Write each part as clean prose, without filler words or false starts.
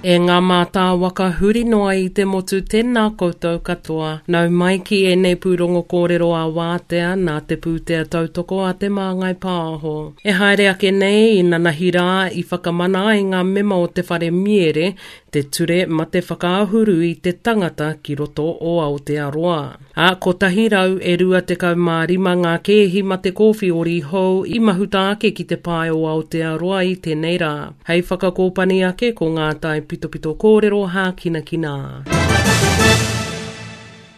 E ngā mātāwaka huri noa i te motu tēnā koutou katoa. Nau mai ki ēnei pūrongo kōrero ā-wātea nā te pūtea tautoko a Te Māngai Pāho. E haere ake nei i nanahi rā i whakamana ai ngā mema o te whare miere te ture mate whakaahuru i te tangata ki roto o Aotearoa. Ā, kotahi rau e 25 ngā kēhi mate kōwhiori hou i mahuta ake ki te pae o Aotearoa i tēnei rā. Hei whakakōpani ake ko ngā taipitopito kōrero hākinakina.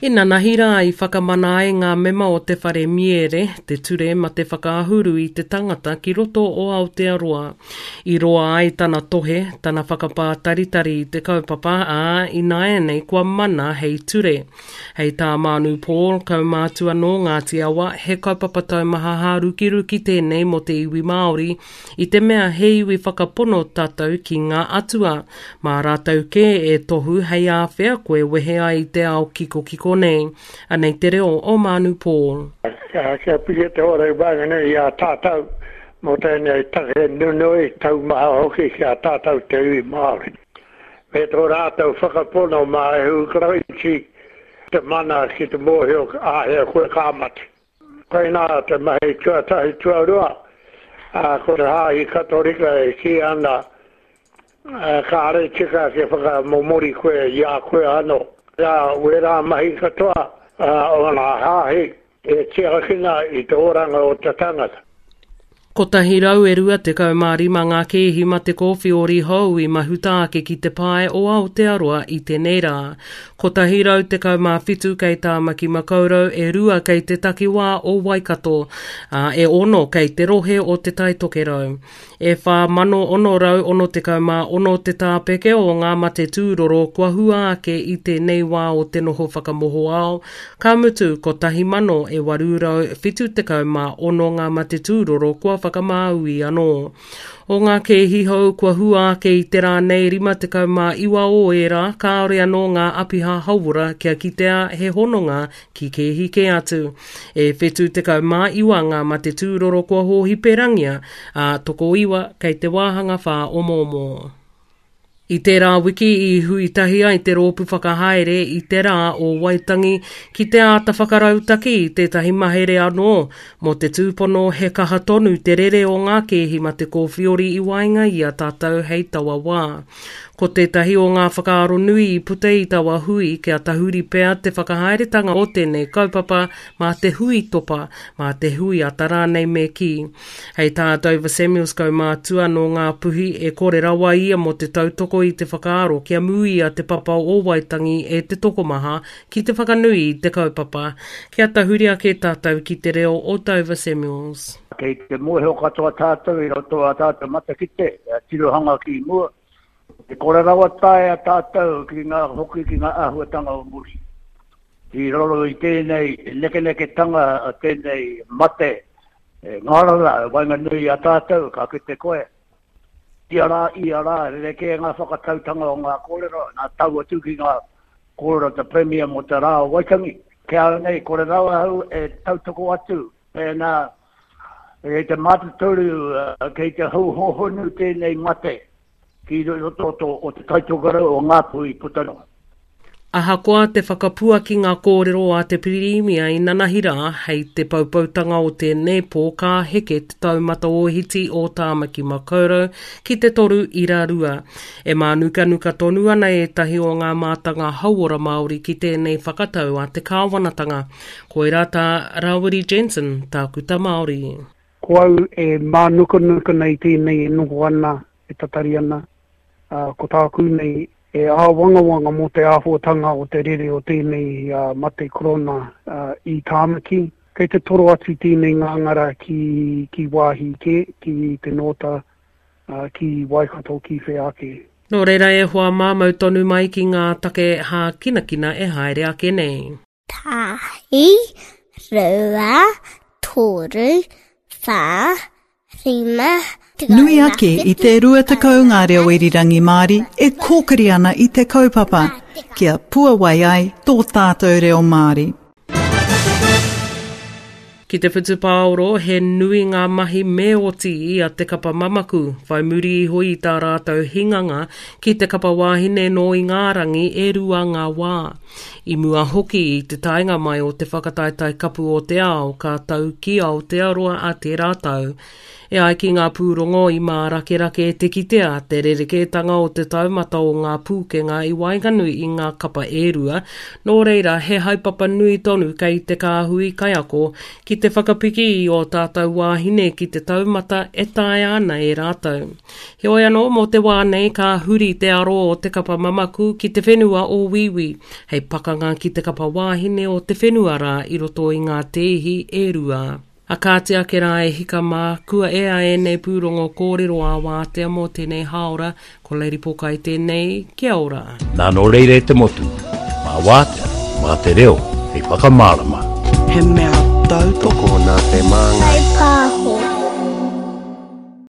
Inanahi rā i whakamana ai ngā mema o te whare miere, te ture mate whakaahuru i te tangata ki roto o Aotearoa. I roa ai tana tohe, tana whakapātaritari i te kaupapa, ā, ināianei kua mana hei ture. Hei tā Maanu Paul, kaumātua nō Ngāti Awa, he kaupapa taumaha hārukiruki tēnei mō te iwi Māori, i te mea he iwi whakapono tātou ki ngā atua. Mā rātou kē e tohu hei āwhea koe wehe ai i te ao kikokiko nei. Anei te reo o Maanu Paul. Kia piri te ora i waenganui i a tātou mō tēnei take nunui, taumaha hoki ki a tātou te iwi Māori. Me tō rātou whakapono mā Ihu Karaiti te mana ki te mōhio āhea koe ka mate. Koinā te mahi tuatahi tuarua, ā, ko te Hāhi Katorika e kī ana, kāre tika kia whakamomori koe i a koe anō. Nā wērā mahi katoa o ngā hāhi E tiakina i te oranga o te tangata. 125 ngā kēhi mate kōwhiori hou i mahuta ake ki te pae o Aotearoa i tēnei rā. 117 kei Tāmaki Makaurau, e rua kei te takiwā o Waikato, ā, e ono kei te rohe o Te Tai Tokerau. E 4,666 te tāpeke o ngā mate tūroro kua hua ake i tēnei wā o te noho whakamohoao, ka mutu 1,876 ngā mate tūroro kua whakamāui anō. O ngā kēhi hou kua hua ake i te rā nei 59 o ērā kāore anō ngā apiha hauora kia kitea he hononga ki kēhi kē atu. E 79 ngā mate tūroro kua hōhiperangia, ā, tokoiwa kei te wāhanga whāomoomo. I tērā wiki i hui tahi ai te rōpū whakahaere i te rā o Waitangi ki te āta whakarautaki i tētahi mahere anō mō te tūpono he kaha tonu te rere o ngā kēhi mate kōwhiori i waenga i a tātou hei taua wā. Ko tētahi o ngā whakaaro nui i puta i taua hui kia tahuri pea te whakahaeretanga o tēnei kaupapa mā te hui topa, mā te hui ata rānei me kī. Hei tā Dover Samuels kaumātua nō Ngāpuhi, e kore rawa ia mō te tautoko i te whakaaro kia mūia te papa o Waitangi e te tokomaha ki te whakanui i te kaupapa. Kia tahuri ake tātou ki te reo o Dover Samuels. Kei te mōhio katoa tātou i roto a tātou matakite, tirohanga ki mua, E kore rawa taea tātou ki ngā hoki ki ngā āhuatanga o muri. I raro i tēnei nekeneketanga a tēnei mate e ngārara e waenganui i a tātou, ka kite koe, ia rā, ia rā, rerekē ngā whakatautanga o ngā kōrero, nā tau atu ki ngā kōrero te Premier mō te rā o Waitangi. Ki a au nei, kore rawa au e tautoko atu mēnā kei te mātotoru, kei te hou hōhonu tēnei mate ki roto o Te Taitokerau o Ngāpuhi puta noa. Ahakoa te whakapuaki ngā kōrero a te Pirimia i nanahi rā, hei te poupoutanga o tēnei pō ka heke te taumata ōhiti o Tāmaki Makaurau ki te 3.2. E mānukanuka tonu ana ētahi o ngā mātanga hauora Māori ki tēnei whakatau a te kāwanatanga. Koirā tā Rawiri Jensen, tākuta Māori. Ko au e mānukanuka nei tēnei e noho ana, e tatari ana, ā, ko tāku nei e āwangawanga mō te āhuatanga o te rere o tēnei mate korona i Tāmaki. Kei te toro atu tēnei ngāngara ki, ki wāhi kē, ki te Nōta, ki Waikato, ki whea ake. Nō reira e hoa mā, mau tonu mai ki ngā take hākinakina e haere ake nei. Tahi, rua, toru, wha, rima, Nui ake i te 20 ngā reo irirangi Māori e kōkiri ana i te kaupapa kia puawai ai tō tātou reo Māori. Ki te whutupaoro, he nui ngā mahi me oti i a Te Kapa Mamaku, whai muri iho i tā rātou hinganga ki te kapa wāhine nō Ingārangi e rua ngā wā. I mua hoki i te taenga mai o te whakataetae kapu o te ao ka tau ki Aotearoa a tērā tau. E ai ki ngā pūrongo i mārakerake te kitea te rerekētanga o te taumata o ngā pūkenga i waenganui i ngā kapa e rua, nō reira he haepapa nui tonu kei te kāhui kaiako ki te whakapiki i ō tātou wāhine ki te taumata e taea ana e rātou. Heoi anō, mō te wā nei ka huri te aro o te kapa mamaku ki te whenua o Wīwī, hei pakanga ki te kapa wāhine o te whenua rā i roto i ngā tēhi e rua. A kāti ake rā e hika mā, kua ea ēnei pūrongo kōrero ā-wātea mō tēnei hāora, ko Lady Pokai tēnei, kia ora. Nā nō reira e te motu, mā wātea, mā te reo hei whakamārama. He mea tautoko nā te Māngai. Whaipāho.